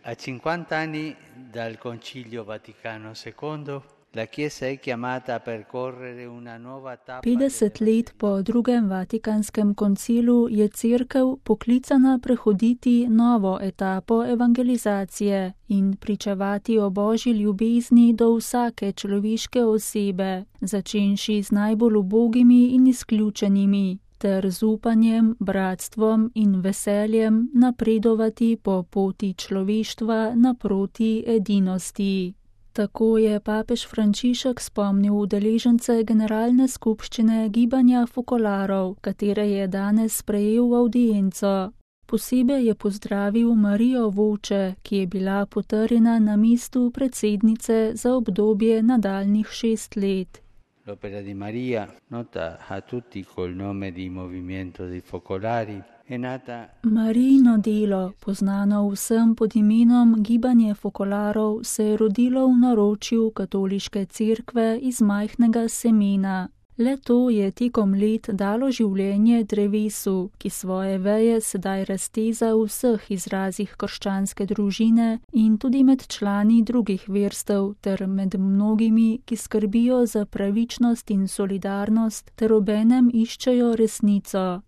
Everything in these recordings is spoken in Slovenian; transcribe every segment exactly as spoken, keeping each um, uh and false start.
A cinquanta anni dal Concilio Vaticano secondo, la Chiesa è chiamata a percorrere una nuova tappa. petdeset let po drugem Vatikanskem koncilu je Cerkev poklicana prehoditi novo etapo evangelizacije in pričevati o Božji ljubezni do vsake človeške osebe, začenši z najbolj ubogimi in izključenimi, ter z upanjem, bratstvom in veseljem napredovati po poti človeštva naproti edinosti. Tako je papež Frančišek spomnil udeležence generalne skupščine gibanja Fokolarov, katere je danes sprejel v audienco. Posebej je pozdravil Marijo Voče, ki je bila potrjena na mestu predsednice za obdobje nadaljnjih šest let. L'opera di Maria, nota a tutti col nome di Movimento dei Focolari, è nata. Marijino delo, poznano vsem pod imenom Gibanje Fokolarov, se je rodilo v naročju katoliške cerkve iz majhnega semena. Le to je tekom let dalo življenje drevesu, ki svoje veje sedaj razteza v vseh izrazih krščanske družine in tudi med člani drugih verstev ter med mnogimi, ki skrbijo za pravičnost in solidarnost ter obenem iščejo resnico.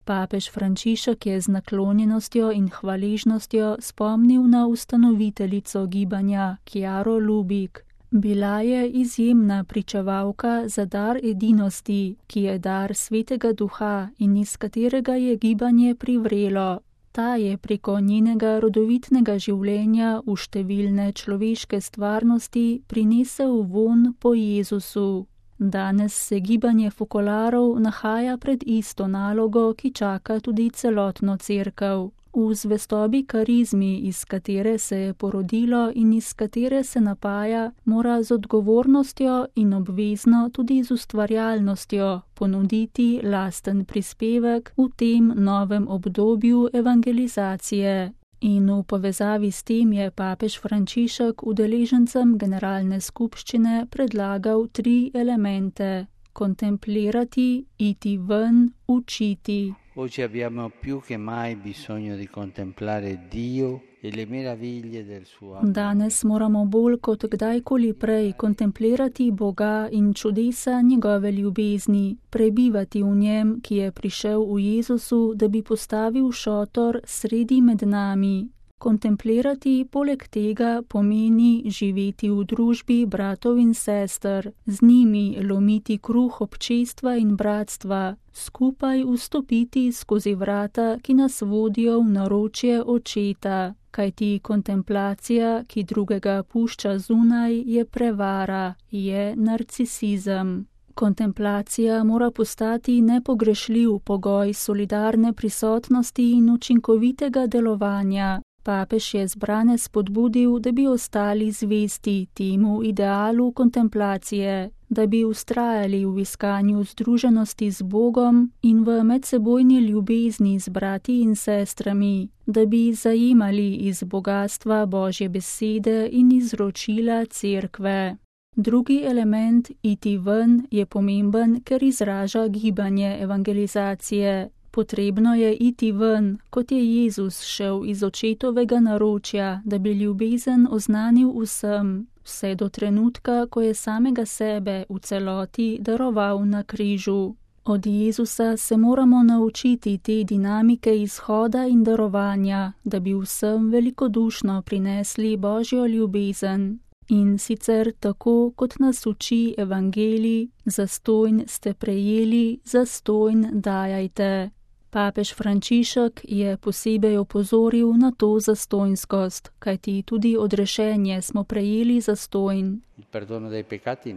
Papež Frančišek je z naklonjenostjo in hvaležnostjo spomnil na ustanoviteljico gibanja, Chiaro Lubich. Bila je izjemna pričevalka za dar edinosti, ki je dar Svetega Duha in iz katerega je gibanje privrelo. Ta je preko njenega rodovitnega življenja v številne človeške stvarnosti prinesel vonj po Jezusu. Danes se gibanje Fokolarov nahaja pred isto nalogo, ki čaka tudi celotno cerkev. V zvestobi karizmi, iz katere se je porodilo in iz katere se napaja, mora z odgovornostjo in obvezno tudi z ustvarjalnostjo ponuditi lasten prispevek v tem novem obdobju evangelizacije. In v povezavi s tem je papež Frančišek udeležencem generalne skupščine predlagal tri elemente: kontemplirati, iti ven, učiti. Oggi abbiamo più che mai bisogno di contemplare Dio e le meraviglie del suo amore. Danes moramo bolj kot kdajkoli prej kontemplirati Boga in čudesa njegove ljubezni, prebivati v njem, ki je prišel v Jezusu, da bi postavil šotor sredi med nami. Kontemplirati poleg tega pomeni živeti v družbi bratov in sester, z njimi lomiti kruh občestva in bratstva, skupaj vstopiti skozi vrata, ki nas vodijo v naročje očeta, kajti kontemplacija, ki drugega pušča zunaj, je prevara, je narcisizem. Kontemplacija mora postati nepogrešljiv pogoj solidarne prisotnosti in učinkovitega delovanja. Papež je zbrane spodbudil, da bi ostali zvesti temu idealu kontemplacije, da bi vztrajali v iskanju združenosti z Bogom in v medsebojni ljubezni z brati in sestrami, da bi zajemali iz bogatstva Božje besede in izročila cerkve. Drugi element, iti ven, je pomemben, ker izraža gibanje evangelizacije. Potrebno je iti ven, kot je Jezus šel iz očetovega naročja, da bi ljubezen oznanil vsem, vse do trenutka, ko je samega sebe v celoti daroval na križu. Od Jezusa se moramo naučiti te dinamike izhoda in darovanja, da bi vsem velikodušno prinesli Božjo ljubezen. In sicer tako, kot nas uči evangelij, zastonj ste prejeli, zastonj dajajte. Papež Frančišek je posebej opozoril na to zastonjskost, kajti tudi odrešenje smo prejeli zastonj. Il perdono dei peccati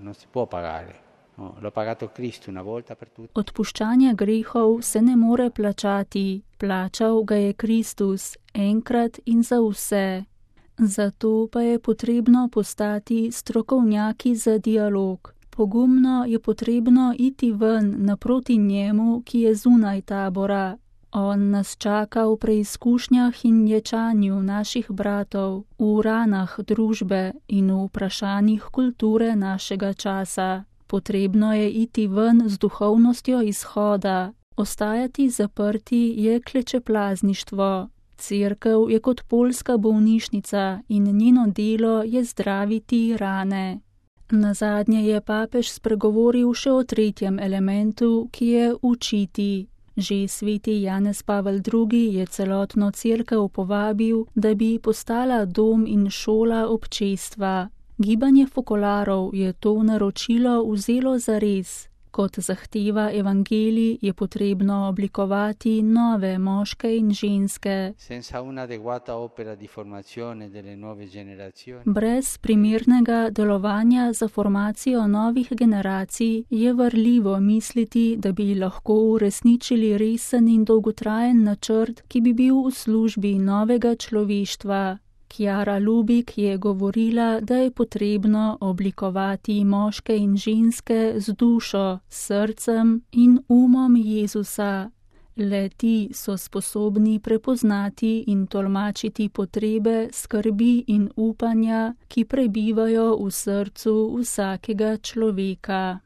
non si può pagare. No, l'ha pagato Cristo una volta per tutti. Odpuščanja grehov se ne more plačati, plačal ga je Kristus enkrat in za vse. Zato pa je potrebno postati strokovnjaki za dialog. Pogumno je potrebno iti ven naproti njemu, ki je zunaj tabora. On nas čaka v preizkušnjah in ječanju naših bratov, v ranah družbe in v vprašanjih kulture našega časa. Potrebno je iti ven z duhovnostjo izhoda. Ostajati zaprti je klečeplazništvo. Cerkev je kot poljska bolnišnica in njeno delo je zdraviti rane. Nazadnje je papež spregovoril še o tretjem elementu, ki je učiti. Že sveti Janez Pavel drugi je celotno cerkev povabil, da bi postala dom in šola občestva. Gibanje fokolarov je to naročilo vzelo zares. Kot zahteva evangelij je potrebno oblikovati nove moške in ženske. Brez primernega delovanja za formacijo novih generacij je varljivo misliti, da bi lahko uresničili resen in dolgotrajen načrt, ki bi bil v službi novega človeštva. Chiara Lubik je govorila, da je potrebno oblikovati moške in ženske z dušo, srcem in umom Jezusa. Le ti so sposobni prepoznati in tolmačiti potrebe, skrbi in upanja, ki prebivajo v srcu vsakega človeka.